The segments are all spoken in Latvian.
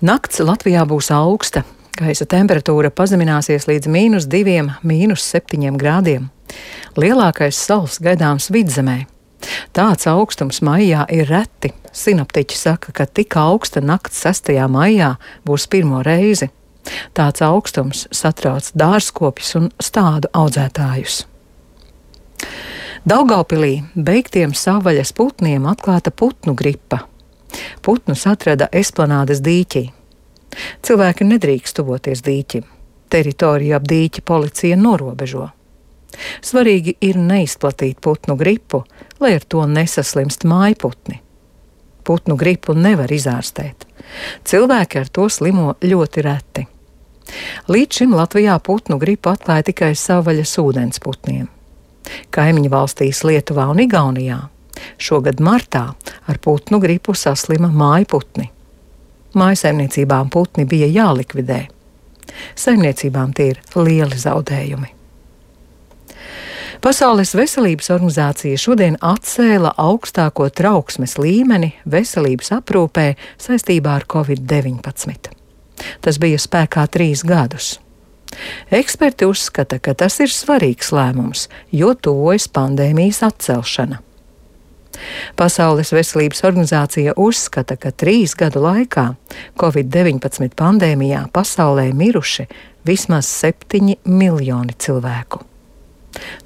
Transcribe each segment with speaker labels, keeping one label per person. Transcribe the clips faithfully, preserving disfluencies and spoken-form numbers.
Speaker 1: Nakts Latvijā būs augsta. Gaisa temperatūra pazemināsies līdz mīnus diviem, mīnus septiņiem grādiem. Lielākais sals gaidāms Vidzemē. Tāds augstums maijā ir reti. Sinoptiķi saka, ka tik augsta nakts sestajā maijā būs pirmo reizi. Tāds augstums satrauc dārzkopjus un stādu audzētājus. Daugavpilī beigtiem savvaļas putniem atklāta putnu gripa. Putnus atrada Esplanādes dīķī. Cilvēki nedrīkst tuvoties dīķim. Teritoriju ap dīķi policija norobežo. Svarīgi ir neizplatīt putnu gripu, lai ar to nesaslimst mājputni. Putnu gripu nevar izārstēt. Cilvēki ar to slimo ļoti reti. Līdz šim Latvijā putnu gripu atklāja tikai savvaļas ūdensputniem. Kaimiņu valstīs Lietuvā un Igaunijā šogad martā ar putnu gripu saslima mājputni. Mājsaimniecībām putni bija jālikvidē. Saimniecībām tie ir lieli zaudējumi. Pasaules veselības organizācija šodien atcēla augstāko trauksmes līmeni veselības aprūpē saistībā ar covid deviņpadsmit. Tas bija spēkā trīs gadus. Eksperti uzskata, ka tas ir svarīgs lēmums, jo tuvojas pandēmijas atcelšana. Pasaules veselības organizācija uzskata, ka trīs gadu laikā covid deviņpadsmit pandēmijā pasaulē miruši vismaz septiņi miljoni cilvēku.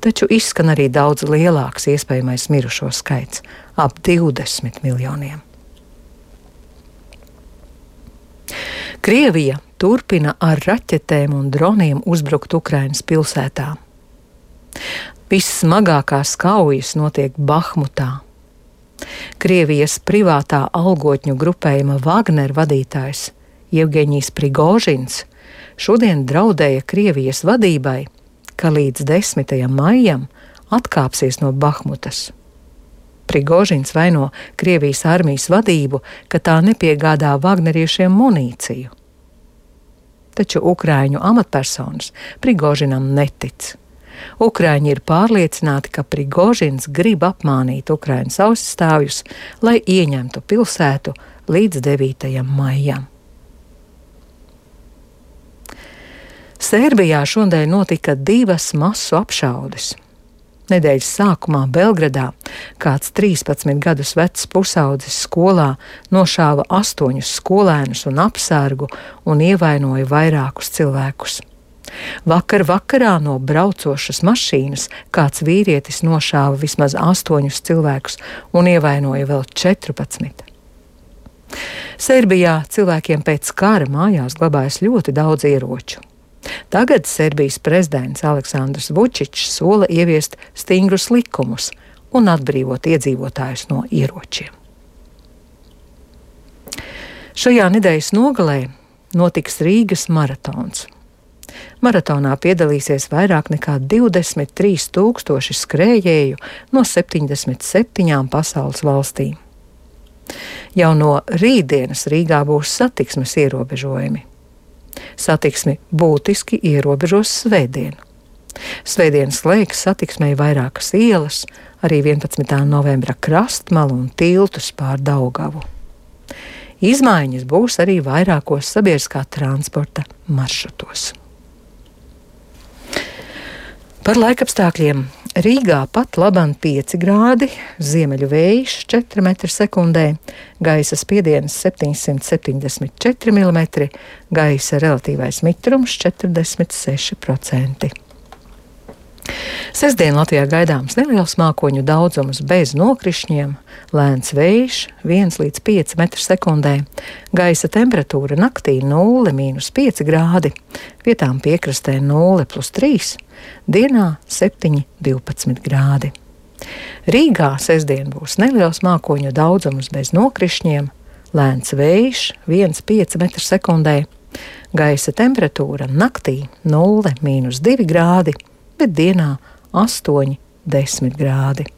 Speaker 1: Taču izskan arī daudz lielāks iespējamais mirušo skaits – ap divdesmit miljoniem. Krievija turpina ar raķetēm un droniem uzbrukt Ukrainas pilsētām. Vissmagākās kaujas notiek Bahmutā. Krievijas privātā algotņu grupējuma Wagner vadītājs Jevgeņijs Prigožins šodien draudēja Krievijas vadībai, ka līdz desmitajam maijam atkāpsies no Bahmutas. Prigožins vaino Krievijas armijas vadību, ka tā nepiegādā vagneriešiem munīciju. Taču ukraiņu amatpersonas Prigožinam netic. Ukraiņi ir pārliecināti, ka Prigožins grib apmānīt Ukrainas aizstāvjus, lai ieņemtu pilsētu līdz devītajam maijam. Sērbijā šodien notika divas masu apšaudes. Nedēļas sākumā Belgradā kāds trīspadsmit gadus vecs pusaudzis skolā nošāva astoņus skolēnus un apsargu un ievainoja vairākus cilvēkus. Vakar vakarā no braucošas mašīnas kāds vīrietis nošāva vismaz astoņus cilvēkus un ievainoja vēl četrpadsmit. Serbijā cilvēkiem pēc kara mājās glabājas ļoti daudz ieroču. Tagad Serbijas prezidents Aleksandrs Vučičs sola ieviest stingrus likumus un atbrīvot iedzīvotājus no ieročiem. Šajā nedēļas nogalē notiks Rīgas maratons. Maratonā piedalīsies vairāk nekā divdesmit trīs tūkstoši skrējēju no septiņdesmit septiņām pasaules valstīm. Jau no rītdienas Rīgā būs satiksmes ierobežojumi. Satiksmi būtiski ierobežos svētdien. Svētdien slēgs satiksmei vairākas ielas, arī vienpadsmitā novembra krastmalu un tiltus pār Daugavu. Izmaiņas būs arī vairākos sabiedriskā transporta maršrutos. Par laikapstākļiem Rīgā pat labam pieci grādi, ziemeļu vējš četri metri sekundē, gaisa spiediens septiņsimt septiņdesmit četri milimetri, gaisa relatīvais mitrums četrdesmit seši procenti. Sestdien Latvijā gaidāms neliels mākoņu daudzums bez nokrišņiem, lēns vējš viens līdz pieci metri sekundē, gaisa temperatūra naktī nulle mīnus pieci grādi, vietām piekrastē nulle plus trīs, dienā septiņi divpadsmit grādi. Rīgā sestdien būs neliels mākoņu daudzums bez nokrišņiem, lēns vējš viens līdz pieci metri sekundē, gaisa temperatūra naktī nulle mīnus divi grādi, bet dienā astoņi desmit grādi.